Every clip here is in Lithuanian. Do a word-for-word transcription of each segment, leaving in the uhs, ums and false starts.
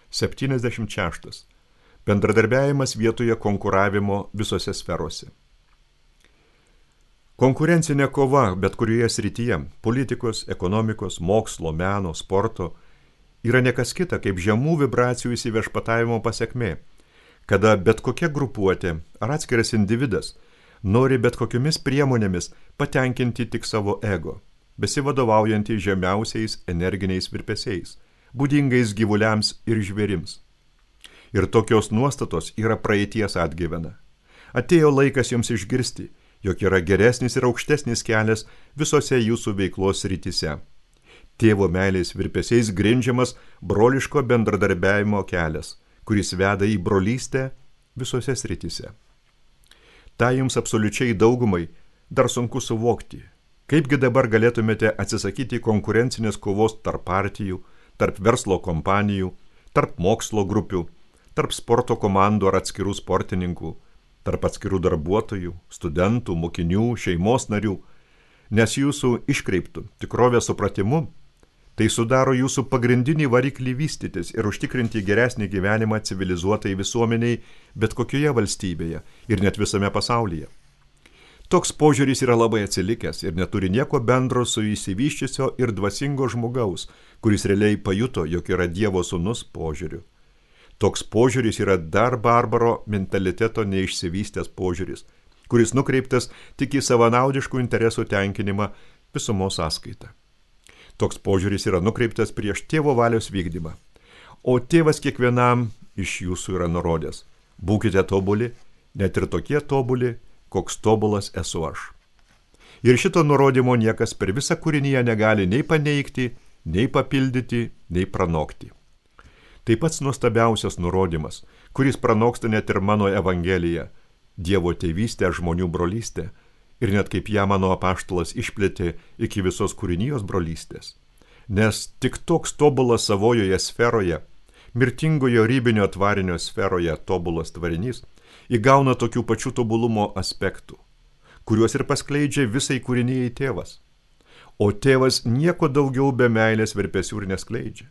septyniasdešimt šeštas. Bendradarbiavimas vietoje konkuravimo visose sferose. Konkurencinė kova bet kurioje srityje – politikos, ekonomikos, mokslo, meno, sporto – yra nekas kita kaip žemų vibracijų įsiviešpatavimo pasekmė, kada bet kokia grupuotė ar atskiras individas nori bet kokiomis priemonėmis patenkinti tik savo ego, besivadovaujantį žemiausiais energiniais virpesiais, būdingais gyvuliams ir žvėrims. Ir tokios nuostatos yra praeities atgyvena. Atėjo laikas jums išgirsti, jog yra geresnis ir aukštesnis kelias visose jūsų veiklos srityse. Tėvo meilės virpesiais grindžiamas broliško bendradarbiavimo kelias, kuris veda į brolystę visose srityse. Ta jums absoliučiai daugumai dar sunku suvokti. Kaipgi dabar galėtumėte atsisakyti konkurencinės kovos tarp partijų, tarp verslo kompanijų, tarp mokslo grupių, tarp sporto komandų ar atskirų sportininkų, tarp atskirų darbuotojų, studentų, mokinių, šeimos narių, nes jūsų iškreiptų tikrovės supratimu tai sudaro jūsų pagrindinį variklį vystytis ir užtikrinti geresnį gyvenimą civilizuotai visuomeniai bet kokioje valstybėje ir net visame pasaulyje. Toks požiūris yra labai atsilikęs ir neturi nieko bendro su išsivysčiusio ir dvasingo žmogaus, kuris realiai pajuto, jog yra Dievo sūnus požiūriu. Toks požiūris yra dar barbaro mentaliteto neišsivystęs požiūris, kuris nukreiptas tik į savanaudiškų interesų tenkinimą visumos sąskaitą. Toks požiūris yra nukreiptas prieš tėvo valios vykdymą, o tėvas kiekvienam iš jūsų yra nurodęs. Būkite tobuli, net ir tokie tobuli, koks tobulas esu aš. Ir šito nurodymo niekas per visą kūrinyje negali nei paneigti, nei papildyti, nei pranokti. Tai pats nuostabiausias nurodymas, kuris pranoksta net ir mano Evangeliją, Dievo tėvystę, žmonių brolystę, ir net kaip ją mano apaštalas išplėtė iki visos kūrinijos brolystės. Nes tik toks tobulas savojoje sferoje, mirtingojo ribinio tvarinio sferoje tobulas tvarinys, įgauna tokių pačių tobulumo aspektų, kuriuos ir paskleidžia visai kūrinijai tėvas. O tėvas nieko daugiau be meilės virpesių ir neskleidžia.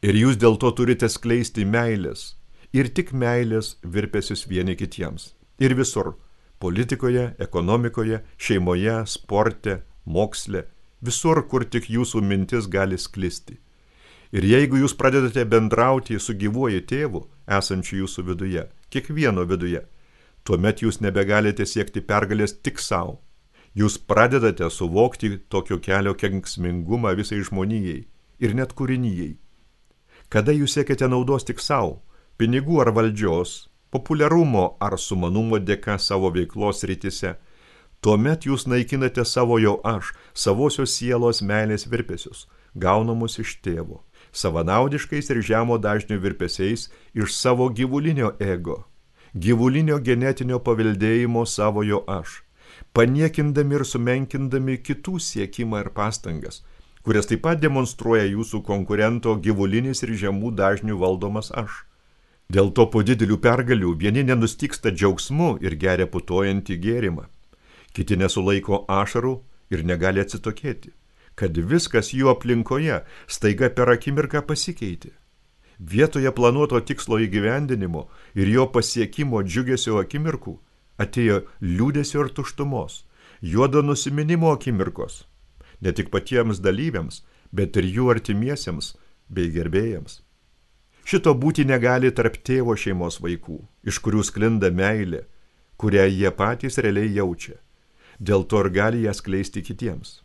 Ir jūs dėl to turite skleisti meilės, ir tik meilės virpesius vieni kitiems. Ir visur – politikoje, ekonomikoje, šeimoje, sporte, moksle, visur, kur tik jūsų mintis gali sklisti. Ir jeigu jūs pradedate bendrauti su gyvuoju tėvu, esančiu jūsų viduje, kiekvieno viduje, tuomet jūs nebegalite siekti pergalės tik savo. Jūs pradedate suvokti tokio kelio kenksmingumą visai žmonijai ir net kūrinijai. Kada jūs siekiate naudos tik savo, pinigų ar valdžios, populiarumo ar sumanumo dėka savo veiklos rytise, tuomet jūs naikinate savo jau aš, savosios sielos meilės virpesius, gaunamus iš tėvo, savanaudiškais ir žemo dažnio virpesiais iš savo gyvulinio ego, gyvulinio genetinio paveldėjimo savojo aš, paniekindami ir sumenkindami kitų siekimą ir pastangas, kurias taip pat demonstruoja jūsų konkurento gyvulinis ir žemų dažnių valdomas aš. Dėl to po didelių pergalių vieni nenustyksta džiaugsmu ir geria putojantį gėrimą, kiti nesulaiko ašarų ir negali atsitokėti, kad viskas jų aplinkoje staiga per akimirką pasikeitė. Vietoje planuoto tikslo įgyvendinimo ir jo pasiekimo džiugesio akimirkų atėjo liūdesio ir tuštumos, juodo nusiminimo akimirkos, ne tik patiems dalyviams, bet ir jų artimiesiems bei gerbėjams. Šito būti negali tarp tėvo šeimos vaikų, iš kurių sklinda meilė, kurią jie patys realiai jaučia. Dėl to ir gali ją skleisti kitiems.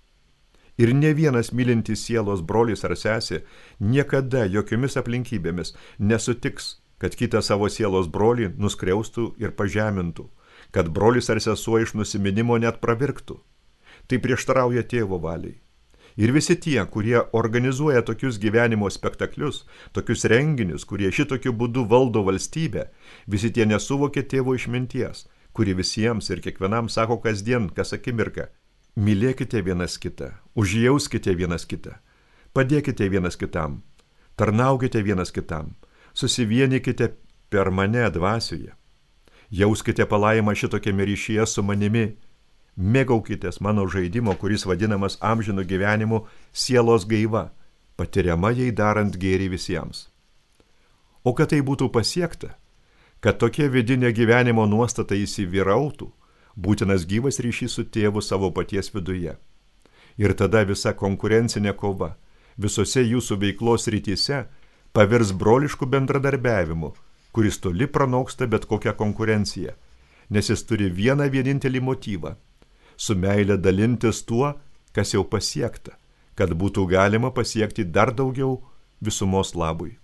Ir ne vienas mylintis sielos brolis ar sesė niekada jokiomis aplinkybėmis nesutiks, kad kitą savo sielos brolį nuskriaustų ir pažemintų, kad brolis ar sesuo iš nusiminimo net pravirktų. Tai prieštarauja tėvo valiai. Ir visi tie, kurie organizuoja tokius gyvenimo spektaklius, tokius renginius, kurie šitokiu būdu valdo valstybę, visi tie nesuvokia tėvo išminties, kuri visiems ir kiekvienam sako kasdien, kas akimirką. Mylėkite vienas kitą, užjauskite vienas kitą, padėkite vienas kitam, tarnaukite vienas kitam, susivienykite per mane dvasioje. Jauskite palaimą šitokiame ryšyje su manimi. Mėgaukitės mano žaidimo, kuris vadinamas amžinu gyvenimu, sielos gaiva, patiriama jai darant gėrį visiems. O kad tai būtų pasiekta, kad tokia vidinė gyvenimo nuostata įsivyrautų, būtinas gyvas ryšys su tėvu savo paties viduje. Ir tada visa konkurencinė kova visose jūsų veiklos rytise pavirs broliškų bendradarbiavimu, kuris toli pranoksta bet kokią konkurenciją, nes jis turi vieną vienintelį motyvą – su meile dalintis tuo, kas jau pasiekta, kad būtų galima pasiekti dar daugiau visumos labui.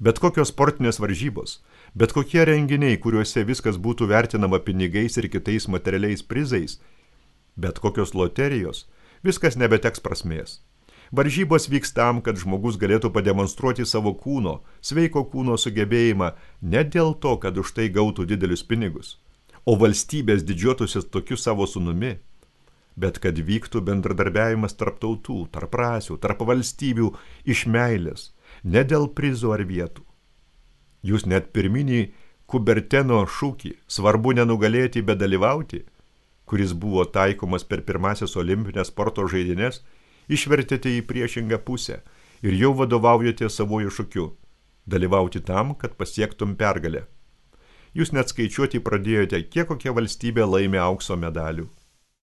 Bet kokios sportinės varžybos, bet kokie renginiai, kuriuose viskas būtų vertinama pinigais ir kitais materialiais prizais, bet kokios loterijos, viskas nebeteks prasmės. Varžybos vyks tam, kad žmogus galėtų pademonstruoti savo kūno, sveiko kūno sugebėjimą ne dėl to, kad už tai gautų didelius pinigus, o valstybės didžiuotųsi tokiu savo sūnumi, bet kad vyktų bendradarbiavimas tarp tautų, tarp rasių, tarp valstybių iš meilės, ne dėl prizų ar vietų. Jūs net pirminį Kuberteno šūkį svarbu nenugalėti, bet dalyvauti, kuris buvo taikomas per pirmasias olimpinės sporto žaidynes, išvertėte į priešingą pusę ir jau vadovaujate savoju šūkiu – dalyvauti tam, kad pasiektum pergalę. Jūs net skaičiuoti pradėjote, kiek kokia valstybė laimė aukso medalių.